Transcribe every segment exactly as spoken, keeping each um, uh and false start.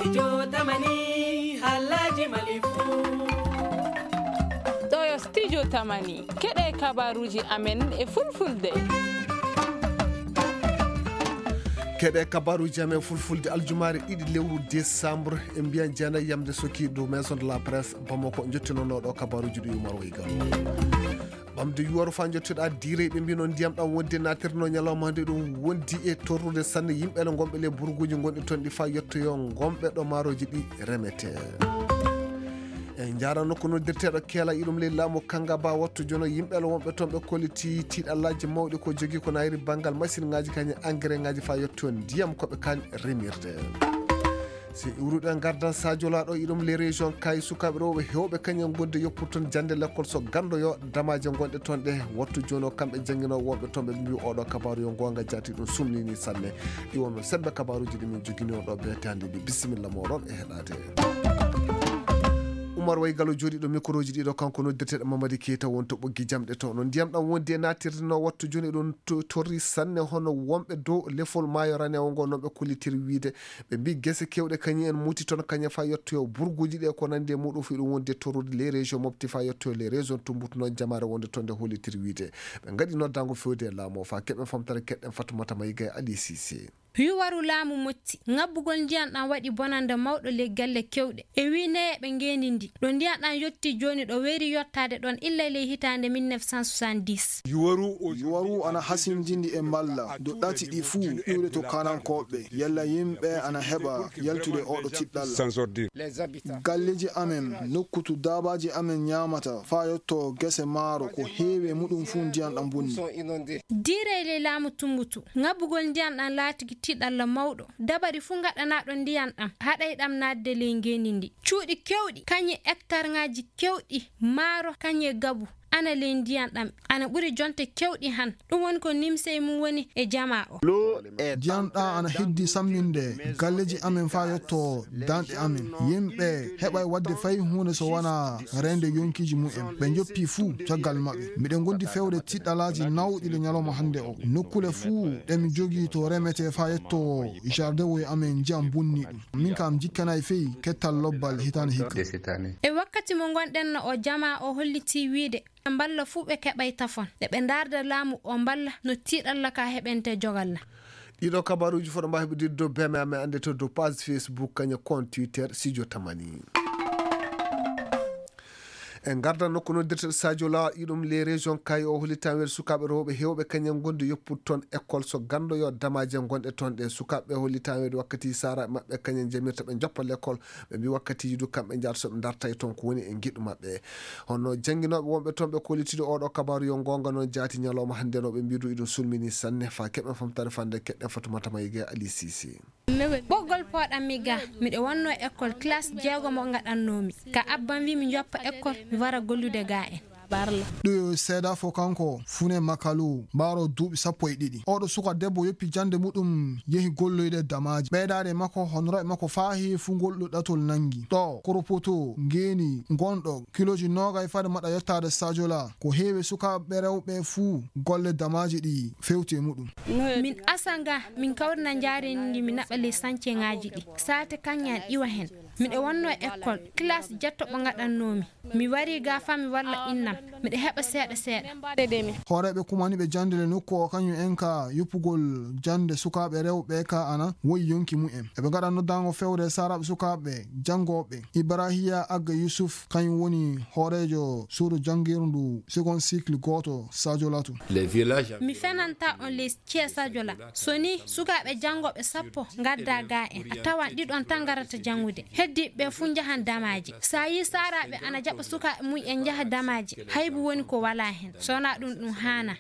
Studio Tamani, halaji malifu. Ɗo yo Studio Tamani, keɗe kabaruji amen e fulfulde. Keɗe kabaruji amen fulfulde aljumaare ɗiɗi lewru décembre, e mbiyan jeenayi yamde soki dow Maison de la Presse Bamako, jottinonooɗo kabaruji ɗi Umar Waygal. Ɓamde yuwaro faa njottoɗaa diire, ɓe mbino ndiyam ɗam wonde naatirno ñalawma hannde ɗum wondi e torrude sanne yimɓe le ngonɓe le burguuji ngonɗi toon ɗi faa yettoyo ngonɓe ɗo maaroji ɗi remetee. E njaarano ko noddirteeɗo keela iɗum ley laamu kanga ba wattu jono yimɓe le wonɓe toon ɓe kolliti tiiɗallaaji mawɗi ko jogii ko nayri banngal masinŋaaji kañe engrais ŋaaji faa yettoyo ndiyam ko ɓe kaan remirde. Si iwruɗen ngardan Sadio Laaɗo iɗum les régions kay sukaaɓe rewɓe heewɓe kañum gonde yoppur toon jannde lekkol so ganndo yo damaaje ngonɗe toon ɗe wattu jooni o kamɓe jannginooɓe wonɓe toon ɓe mbiyu oɗo kabaaru yo ngoonga jaati ɗum sumnini sanne. Iwon men sembe kabaaruji ɗi min jogini on ɗo beetaandi ɗi bisimilla moɗon e heɗaade. Umar Way Galo jooɗiiɗo mikroji ɗiɗo kanko noddirteɗo Mamadi Keita won to ɓoggi jamɗe to no ndiyam ɗam wondi e naatirde no wattu jooni ɗum to- torri sanne hono wonɓe dow lefol maayo ranewo ngo noon ɓe kollitiri wiide Ɓe mbii gese keewɗe kañum en muti toon kañum faa yettoyo burguuji ɗi e ko nanndi e muɗum fii ɗum wondi e torrude les régions mofti faa yettoyo les régions tumbut noon jamaare wonde toon nde hollitiri wiide ɓe ngaɗi noddaango feewde e laamu o faa keɓen famtare keɗɗen Fatoumata Maïga e Ali Cissé. Yuwaru laamu moƴƴi, ŋabbugol ndiyan ɗam waɗi bonannde mawɗo ley galle keewɗe e wii neyeeɓe ngeenndi ndin. Ɗo ndiyan ɗam yottii jooni ɗo weyri yottaade ɗoon illa ley hitaande mille neuf cent soixante-dix. Yuwaru ana hasindindi e mballa dow ɗati ɗi fuu iwde to kaanankooɓe yalla yimɓe ana heɓa yaltude oɗo tiɗɗalla. Galleeji amen, nokku to daabaaji amen ñaamata, faa yotto gese maaro, ko heewi e muɗum fuu ndiyan ɗam bonni. Diirey ley laamu Tumbutu, ŋabbugol ndiyan ɗam laatigi tiɗalla mawɗo. Dabari fuu ngaɗanaaɗo ndiyan ɗam, haɗay ɗam naatde ley ngeenndi ndi. Cuuɗi keewɗi, kañe ektarŋaaji keewɗi, maaro, kañe gabu, ana ley ndiyan ɗam, ana ɓuri jonte keewɗi han. Ɗum woni ko nimsey mum woni e jamaa o. Ndiyan ɗam ana heddi samminde galleeji amen faa yotto danɗe amen. Yimɓe heɓay waɗde fay huunde so wanaa reende yonkiiji mumen. Ɓe njoppi fuu caggal maɓɓe. Miɗen ngondi fewde tiɗɗalaaji nawɗi le ñalawma hannde o. Nokkule fuu ɗe mi jogii to remetee faa yetto jardin woy amen ndiyan bonni ɗum. Min kam jikkanay fey kettal lobbal hitaande hikka. E wakkati mo ngonɗen no o jamaa o hollitii wiide, ɓe mballa fuu ɓe keɓay tafon. Nde ɓe ndaarda laamu o mballa no tiiɗalla ka heɓente jogalla. Ɗiɗo kabaruuji fof ɗo mbaawi heɓude dow B M A, annde to dow page Facebook, kañum compte Twitter, Studio Tamani. En ngarda nokku noddirteɗo Sadio Lawal, iɗum les régions kay o hollitaa weeɗe sukaaɓe rewɓe heewɓe kañum ngonde yoppude toon école so ganndo yo damaaje ngonɗe toon ɗe. Sukaaɓe ɓe hollitaa weeɗe wakkati saaraaɓe maɓɓe kañum njamirta ɓe njoppa l'école. Ɓe mbii wakkatiiji du kamɓe njahata so ɓe ndartay toon ko woni e ngiɗu maɓɓe. Hono jannginooɓe wonɓe toon ɓe kollitiiɗo oɗo kabaaru yo ngoonga noon jaati ñalawma hannde no ɓe mbii du iɗum sulmini sanne faa keɓen famtare fannde keɗɗen Fatoumata Maïga e Ali Cissé. Ɓoggol pooɗammi ga, miɗo wonno école classe jeegomo ngaɗannoomi. Ka abban wi mi njoppa école, mi wara gollude ga en. Ɗo seeɗa fof kanko Fune Makalu, mbaaro duuɓi sappo e ɗiɗi. Oɗo suka debbo yoppi jannde muɗum, yehi golloyde damaaji. Ɓeydaade makko, honoraaɓe makko faa heewi fuu ngol ɗo ɗatol nanngi. Ɗo Koropoto ngeeni ngonɗo kilooji noogay fade maɗa yottaade Sadio La, ko heewi sukaaɓe rewɓe fuu golle damaaji ɗi fewti e muɗum. Min asa nga, min kawrina njaareendi ndi, mi naɓa ley sanceŋaaji ɗi. Saate kaŋŋe an iwa hen. Miɗo wonno e école, classe jetto ɓo ngaɗannoomi. Mi wari ga faa mi walla innam. Miɗo heɓa seeɗa seeɗa. Hooreeɓe kumaniiɓe jannde le nokku o kañum en ka yoppugol jannde sukaaɓe rewɓe ka ana woyi yonki mumen. Eɓe ngaɗa noddaango fewre saaraaɓe sukaaɓe janngooɓe. Ibrahiya Agga Yusuf kañum woni hooreejo suudu janngirndu second cycle gooto Sadio Latu. Mi fenanta on les Ceesajo la. So ni sukaaɓe janngooɓe sappo ngadda ga en, a tawan ɗiɗon tan ngarata janngude. Heddiiɓe ɓe fuu njahan damaaji. So a yii saaraaɓe ana jaɓa sukaaɓe mum en njaha damaaji, haybu woni ko walaa hen. So wonaa ɗum, ɗum haanaa.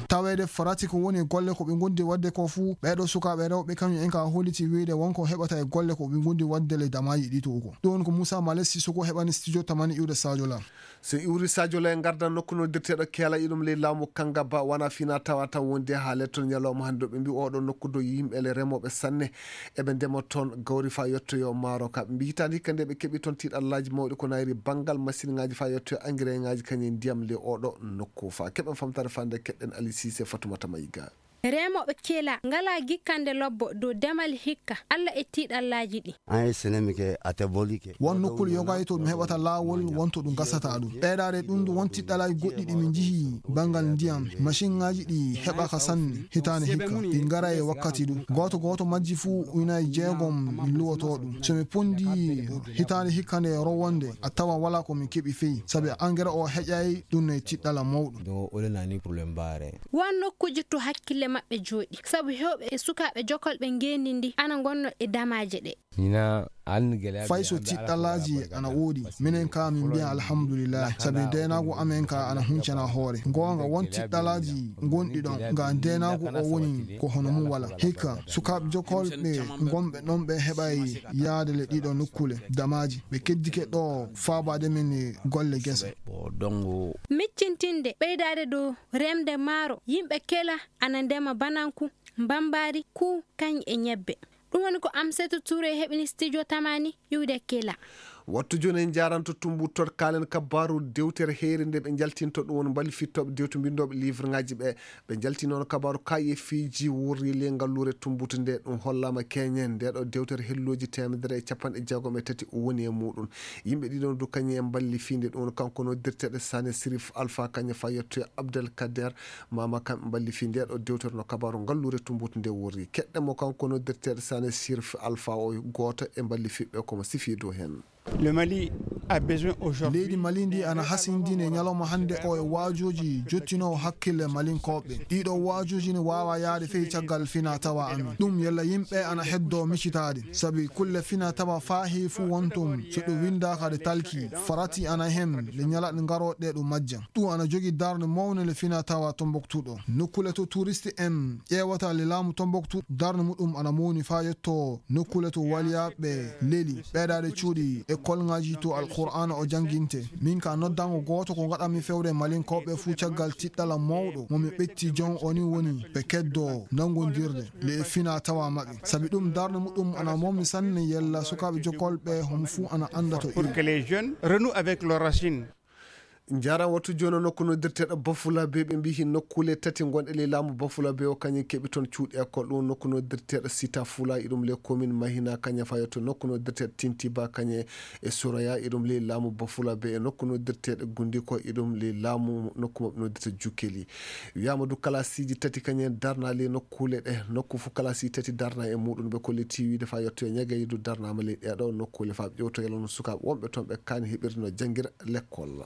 Taweede farati ko woni golle ko ɓe ngondi waɗde ko fuu, ɓeeɗo sukaaɓe rewɓe kañum en ka holliti wiyde won ko heɓata e golle ko ɓe ngondi waɗde le damaaji ɗi to uko. Ɗum woni ko Moussa Malesi Soko heɓani studio tamani iwde Sadio la. So iwri Sadio Lay ngardan nokku noddirteeɗo Keela iɗum ley laamu Kangaba, wona fina tawa tan wondi haa letto ñalawma hannde. Ɓe mbi oɗo nokku do yimɓe le remooɓe sanne, eɓe ndema toon gawri faa yettoyo maaro ka. Ɓe mbi hitaande hikka nde ɓe keɓi toon tiiɗallaaji mawɗi ko nayri banngal masiŋaaji faa yettoyo engrais ŋaaji kañum e ndiyam ley oɗo nokku. Faa keɓen famtare faa nde keɗɗen Ali Siise Fatumata Mayiga. Remooɓe Kela ngalaa gikkande lobbo dow demal hikka Alla e tiiɗallaaji ɗi. An e sene mi ke a tɛ boli ke. Won nokkuule yoga e to ɗum heɓata laawol, won to ɗum gasata ɗum. Ɓeydaade ɗum du won tiɗɗalaaji goɗɗi ɗi min njihi banngal ndiyam. Masinŋaaji ɗi heɓaka sanne hitaande hikka. Ɗi ngara e wakkati du. Gooto gooto majji fuu ujunaaji jeegom min luwotoo ɗum. So mi ponndii hitaande hikka nde rowonde, a tawa walaa ko min keɓi fey. Sabi angere o heƴaay ɗum no e tiɗɗala mawɗo. Don ole nani problem bare. Won nokkuuji to hakkille maɓɓe jooɗi, sabu heewɓe e sukaaɓe jokolɓe ngeenndi ndi ana ngonnoo e damaaje ɗe. Fay so tiɗɗalaaji ana woodi, minen ka min mbiya alhamdulillahi, sabi ndeenaagu amen ka ana huncana hoore. Goonga won tiɗɗalaaji ngonɗi ɗon, nga ndeenaagu o woni ko hono mum wala. Hikka, sukaaɓe jokolɓe ngonɓe ɗon ɓe heɓay yaade le ɗiɗo nokkuule damaaji. Ɓe keddike ɗo faabaade min e golle gese. Miccintinde ɓeydaade dow remde maaro, yimɓe Kela ana ndema bananku, mbambaari, kuu, kañ e ñebbe. Ɗum woni ko Amsetu Tuure heɓini studio Tamani iwde Kela. Wattu jooni en njaaranto Tumbutu to kaalen kabaaru dewtere heere nde ɓe njaltinto ɗum woni mballifitooɓe dewtu mbinndooɓe livreŋaaji ɓe. Ɓe njaltinoon kabaaru kaayeefiiji wurri ley ngalluure Tumbutu nde ɗum hollaama keñen nde ɗo dewtere hellooji teemedere e capanɗe jeegom e tati woni e muuɗum. Yimɓe ɗiɗon du kañum en mballifii nde ɗum woni kanko noddirteeɗo Sane Sirif Alpha kañum fayetto e Abdel Kader Mama kam mballifii nde ɗo dewtere no kabaaru ngalluure Tumbutu nde wurri. Keɗɗen mo kanko noddirteeɗo Sane Sirif Alpha o gooto e mballifiiɓe ko mo sifii dow heen. Le Mali a besoin aujourd'hui. Leydi Mali ndi ana hasindini e ñalawma hannde o e waajuuji jottinoowo hakkille Malinkooɓe. Ɗiɗo waajuuji ne waawa yaade fey caggal fina tawa amin. Ɗum yalla yimɓe ana heddo micitaade. Sabi kulle fina tawa faahi fuu wontum so ɗum winndaaka ɗe talki. Farati ana heen le ñalaɗe ngarooɗe ɗum majja. Ɗum ana jogi darnde mawnde le fina tawa Tombouctou ɗo. Nokkuule to touriste en ƴeewata le laamu Tombouctou darnde muɗum ana mawni faa yetto nokkuule to waliyaaɓe leli, ɓeydaade cuuɗi e kolŋaaji to Alqur'aana o jannginte. Min ka noddango gooto ko ngaɗanmi fewde Malinkooɓe fuu caggal tiɗɗala mawɗo mo mi ɓetti jon o ni woni ɓe keddo nanngondirde le e fina tawa maɓɓe. Sabi ɗum darnde muɗum ana mawni sanne yalla sukaaɓe jokolɓe homo fuu ana annda to pour que les jeunes renouent avec leurs racines. Njaaraama wattu jooni o nokku noddirteeɗo Bafulabe ɓe mbiyi nokkuule tati ngonɗe ley laamu Bafulabe o kañum keɓi toon cuuɗi école ɗum nokku noddirteeɗo Sita Fula iɗum ley commune Mahina kañum fayo to nokku noddirteeɗo Tintiba kañum e Suraya iɗum ley laamu Bafulabe e nokku noddirteeɗo Gundiko iɗum ley laamu nokku maɓɓe noddirta Jukkeli. Wiyaama du kalasiiji tati kañum darna ley nokkuule ɗe nokku fof kalasiiji tati darna e muɗum ɓe kolliti wiide fa yetto e ñagaydu darnaama ley ɗeɗo nokkuule fa ƴewto yalano sukaaɓe wonɓe toon ɓe kaani heɓirde no janngira lekkol.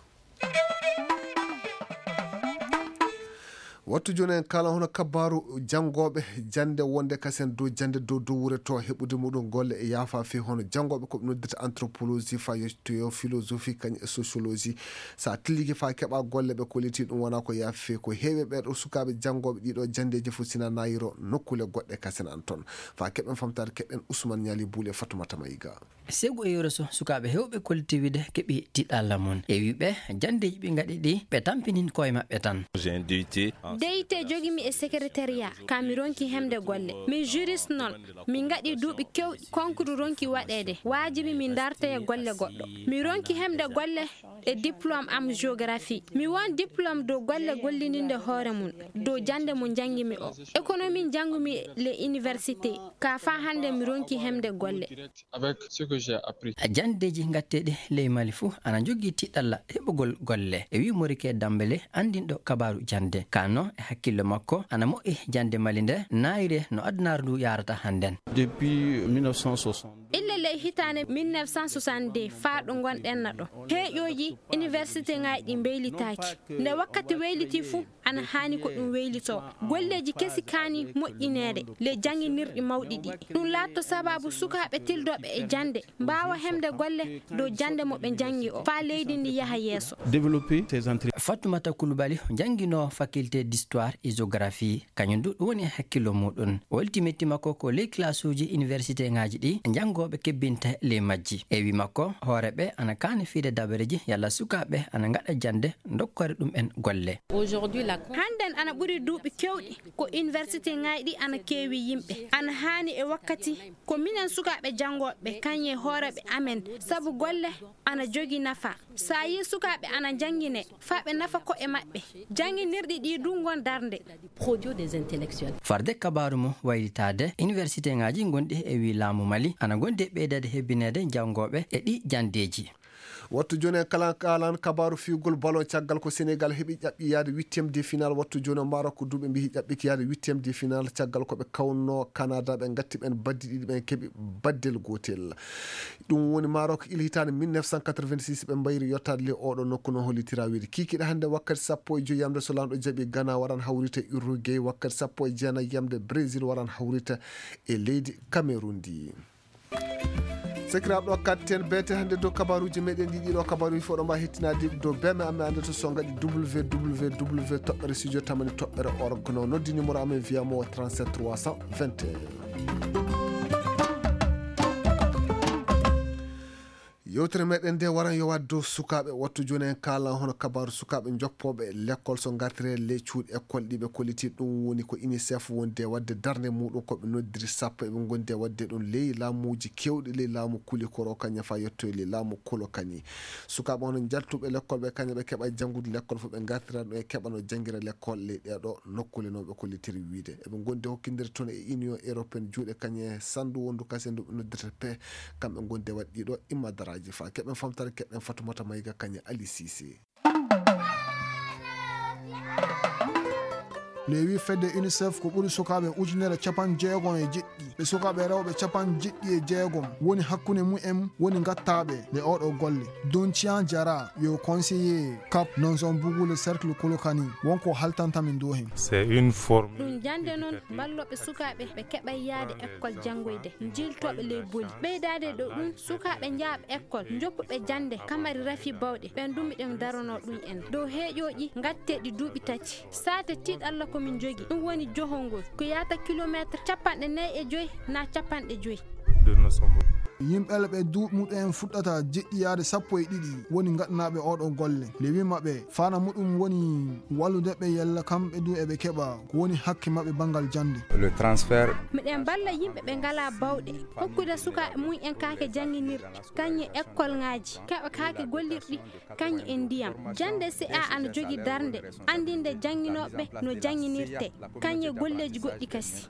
Wattu jooni en kala hono kabaaru janngooɓe jannde wonde kasen dow jannde dow dow wure to heɓude muɗum golle e yaafa fii hono janngooɓe ko ɓe noddita anthropologie fa yettoyo philosophie kañ e sociologie. So a tillike fa keɓa golle ɓe kolliti ɗum wona ko yaafi fii ko heewi ɓe ɗo sukaaɓe janngooɓe ɗiɗo janndeeji fof sina nayiro nokkuule goɗɗe kasen an toon. Fa keɓen famtaade keɗen Ousmane Ñaali Buule Fatumata Mayiga. Segu e yoro so sukaaɓe heewɓe kolliti wiide keɓi tiɗalla mum. E wiɓe janndeeji ɓe ngaɗi ɗi ɓe tampinin koye maɓɓe tan. J'ai un D U T en Deyte jogi mi e secrétariat, ka mi ronki hemde golle. Mi juriste noon, mi ngaɗi duuɓi kewɗi, concours ronki waɗeede. Waajibi mi dartoya golle goɗɗo. Mi ronki hemde golle e diplôme am géographie. Mi won diplôme dow golle gollindinde hoore mum, dow jannde mo njanngi mi o. Économie njanngu mi le université, ka fa hannde mi ronki hemde golle. Avec ce que j'ai appris. Janndeeji ngatteeɗi ley Mali fuu ana njogii tiɗalla heɓugol golle. E wii Morike Dambele, anndinɗo kabaaru jannde. Ka no e hakkillo makko, ana moƴƴi jannde Mali nde, naayre no adunaaru ndu yaarata hannden. Depuis mille neuf cent soixante. Illa ley hitaande mille neuf cent soixante-deux faa ɗo ngonɗen na ɗo. Heeƴooji université ŋaaji ɗi mbeylitaaki. Nde wakkati weyliti fuu, ana haani ko ɗum weylitoo. Golleeji kesi kaani moƴƴineede le jannginirɗi mawɗi ɗi. Ɗum laatto sabaabu sukaaɓe tildooɓe e jannde mbaawa hemde golle dow jannde mo ɓe njanngi o, faa leydi ndi yaha yeeso. Développer ces entreprises. Fatoumata Coulibaly, jannginoowo faculté d'histoire et géographie, kañum du ɗum woni e hakkillo muɗum. O welti metti makko ko ley classe uji université ŋaaji ɗi janngooɓe kebbinta ley majji. E wi makko, hooreeɓe ana kaani fiide dabareeji yalla sukaaɓe ana ngaɗa jannde ndokkore ɗum en golle. Aujourd'hui, la Hannden ana ɓuri duuɓi keewɗi ko universitéŋaaji ɗi ana keewi yimɓe. Ana haani e wakkati ko minen sukaaɓe janngooɓe, kañum e hooreeɓe amen, sabu golle ana jogii nafa. So a yii sukaaɓe ana njanngine, faa ɓe nafa ko'e maɓɓe, jannginirɗi ɗi du ngon darnde. Farde kabaaru mo waylitaade, universitéŋaaji gonɗi e wii laamu Mali ana gondi e ɓeydaade hebbineede janngooɓe e ɗi janndeeji. Wattu jooni en kala kaalan kabaaru fiyugol ballon caggal ko Senegal heɓi ƴaɓɓi yaade huitième de finale. Wattu jooni o Maroc duuɓe mbiyi ƴaɓɓiki yaade huitième de finale caggal ko ɓe kawno Canada, ɓe ngatti ɓen baddi ɗiɗi, ɓen keɓi baddel gootel. Ɗum woni Maroc il hitaande mille neuf cent quatre-vingt-six ɓe mbayri yottaade le oɗo nokku no hollitira wiide kiikiiɗe hannde wakkati sappo e joyi yamde so laamɗo jaɓi Ghana waran hawrita Uruguay, wakkati sappo e jeenayi yamde Brésil waran hawrita e leydi Cameroun ndi. Sakiraaɓe ɗo katten beete hannde dow kabaruuji meɗen ɗi ɗiɗo kabaruuji fof ɗo mbawi hettinaade dow beme amme annde to so ngaɗi www toɓɓere studio tamani toɓɓere org no noddi numéro amen via mo trente-sept trois cent vingt et un. Yewtere meɗen nde waran yo waɗ dow sukaaɓe. Wattu jooni en kaalan hono kabaaru sukaaɓe joppooɓe lekkol so ngartire ley cuuɗi ekkol ɗi ɓe kolliti. Ɗum woni ko UNICEF wondi e waɗde darnde muɗum ko ɓe noddiri sappo eɓe gondi e waɗde ɗum ley laamuuji kewɗi ley laamu Kulikoro kañum faa yetto e ley laamu Kolokani. Sukaaɓe hono njaltuɓe lekkol ɓe kañum ɓe keɓa janngude lekkol fof ɓe ngartira ɗum e keɓa no janngira lekkol ley ɗeeɗo nokkule no ɓe kollitiri wiide. Eɓe gondi hokkindiri toon e Union Européenne juuɗe kañum e sandu wondu kasen ndu ɓe noddirta pe kamɓe gondi e waɗ ɗiɗo immadaraaji faa keɓen famtare keɓen Fatumata Mayga kañum Ali Sise. Lewi fedde UNICEF ko ɓuri sukaaɓe ujunere capanɗe jeegom e jeɗɗi ɓe sukaaɓe rewɓe capanɗe jeɗɗi e jeegom woni hakkunde mumen woni ngattaaɓe le oɗo golle. Doncian Jara yo conseiller cap non zone bugu le cercle Kolokani wonko haltantami ndu hen. Ɗum jannde noon mballooɓe sukaaɓe ɓe keɓa yaade ekkol janngoyde, njiiltooɓe ley boli. Ɓeydaade e ɗo ɗum, sukaaɓe njaaɓe ekkol, njoppuɓe jannde, kamari rafi bawɗe, ɓen ɗum miɗen daronoo ɗum en. Dow heeƴooji ngatteeɗi duuɓi tati, saate tiiɗalla ko min njogi, ɗum woni johol ngol, ko yaata kilomeetre capanɗe nayi e joy naa capanɗe joy. Yimɓe ɓe duuɓi muɗum en fuɗɗata jeɗɗi yaade sappo e ɗiɗi woni ngaɗanaaɓe oɗo golle. Lewi maɓɓe fana muɗum woni wallude ɓe yalla kamɓe du eɓe keɓa ko woni hakke maɓɓe banngal jannde. Miɗen mballa yimɓe ɓe ngalaa bawɗe, hokkude sukaaɓe mum en kaake jannginirɗe, kañum e ekkolŋaaji, keɓa kaake gollirɗi, kañum e ndiyam. Jannde C A ana jogii darnde, anndinde jannginooɓe no jannginirtee, kañum e golleeji goɗɗi kasi.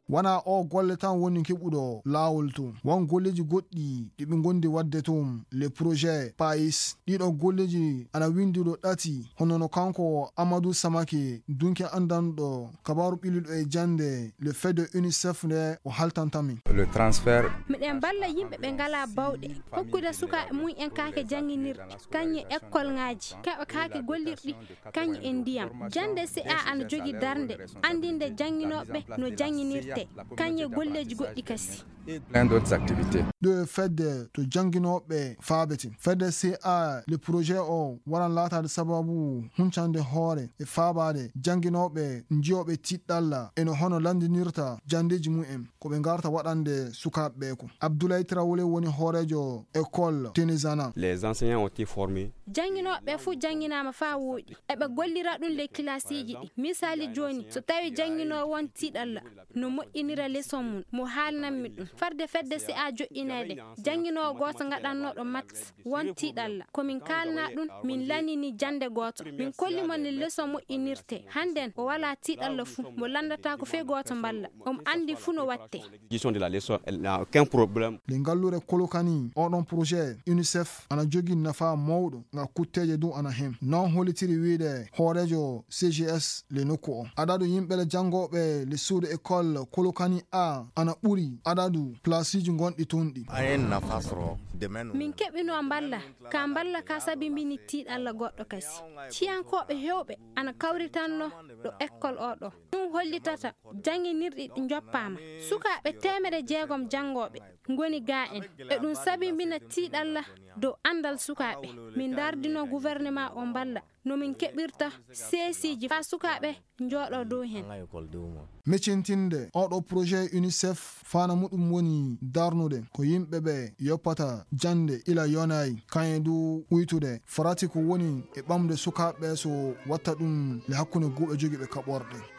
Wona o golle tan woni keɓuɗo laawol to. Won golleeji goɗɗi ɗi ɓe ngondi waɗde toon, le projet pais. Ɗiɗo golleeji ana winndi ɗo ɗati, hono no kanko Amadou Samake, dunke anndanɗo kabaaru ɓilliɗo e jannde, le fait de UNICEF nde o haltantami. Miɗen mballa yimɓe ɓe ngalaa bawɗe, hokkude sukaaɓe mum en kaake jannginirɗe, kañum e ekkolŋaaji, keɓa kaake gollirɗi, kañum e ndiyam. Jannde C A ana jogii darnde, anndinde jannginooɓe no jannginirtee, kañum e golleeji goɗɗi kasi. Ɗo e fedde to jannginooɓe faabete. Fedde C A, le projet o waran laataade sababu huncande hoore e faabaade jannginooɓe njiyooɓe tiiɗalla e no hono lanndinirta janndeeji mum en. Ko ɓe ngarta waɗande sukaaɓe ɓe ko. Abdoulaye Traoré woni hooreejo école Tenezana. Les enseignants ont été formés. Jannginooɓe ɓe fof jannginaama faa wooɗi. Eɓe gollira ɗum ley kilaasiiji ɗi. Misaali jooni, so tawii jannginoowo won tiiɗalla, no moƴƴinira leçon mum, mo haalnanmi ɗum. Farde fedde C A joƴƴineede, jannginoowo gooto ngaɗannooɗo maths won tiiɗalla. Ko min kaalnaa ɗum, min lanini jannde gooto. Min kolli mo no leçon moƴƴinirtee. Hannden o walaa tiiɗalla fuu, mo lanndataako fee gooto mballa. Omo anndi fuu no waɗtee. Gestion de la leçon, elle n'a aucun problème. Le ngallure Kolokani, oɗon projet UNICEF ana jogii nafa mawɗo, nga kutteeje du ana hen. Non hollitiri wiide hooreejo C G S le nokku o. Adadu yimɓe le janngooɓe le suudu école Kolokani A ana ɓuri adadu placeeji gonɗi toon ɗi. Min keɓinoo mballa, ka mballa ka sabimbini tiiɗalla goɗɗo kasi. Ciyankooɓe heewɓe ana kawritanno ɗo école o ɗo. Ɗum hollitata jannginirɗi ɗi njoppaama. Sukaaɓe teemedde jeegom janngooɓe ngoni gaa en. E ɗum sabimbina tiiɗalla dow anndal sukaaɓe. Min ndardino gouvernement o mballa no min keɓirta seesiiji faa sukaaɓe njooɗoo dow heen. Mecintinde oɗo projet UNICEF fana muɗum woni darnude ko yimɓe ɓe yoppata jannde ila yonaay, kañe du uytude farati ko woni e ɓamde sukaaɓe ɓe so watta ɗum le hakkunde guuɓe jogiiɓe kaɓorɗe.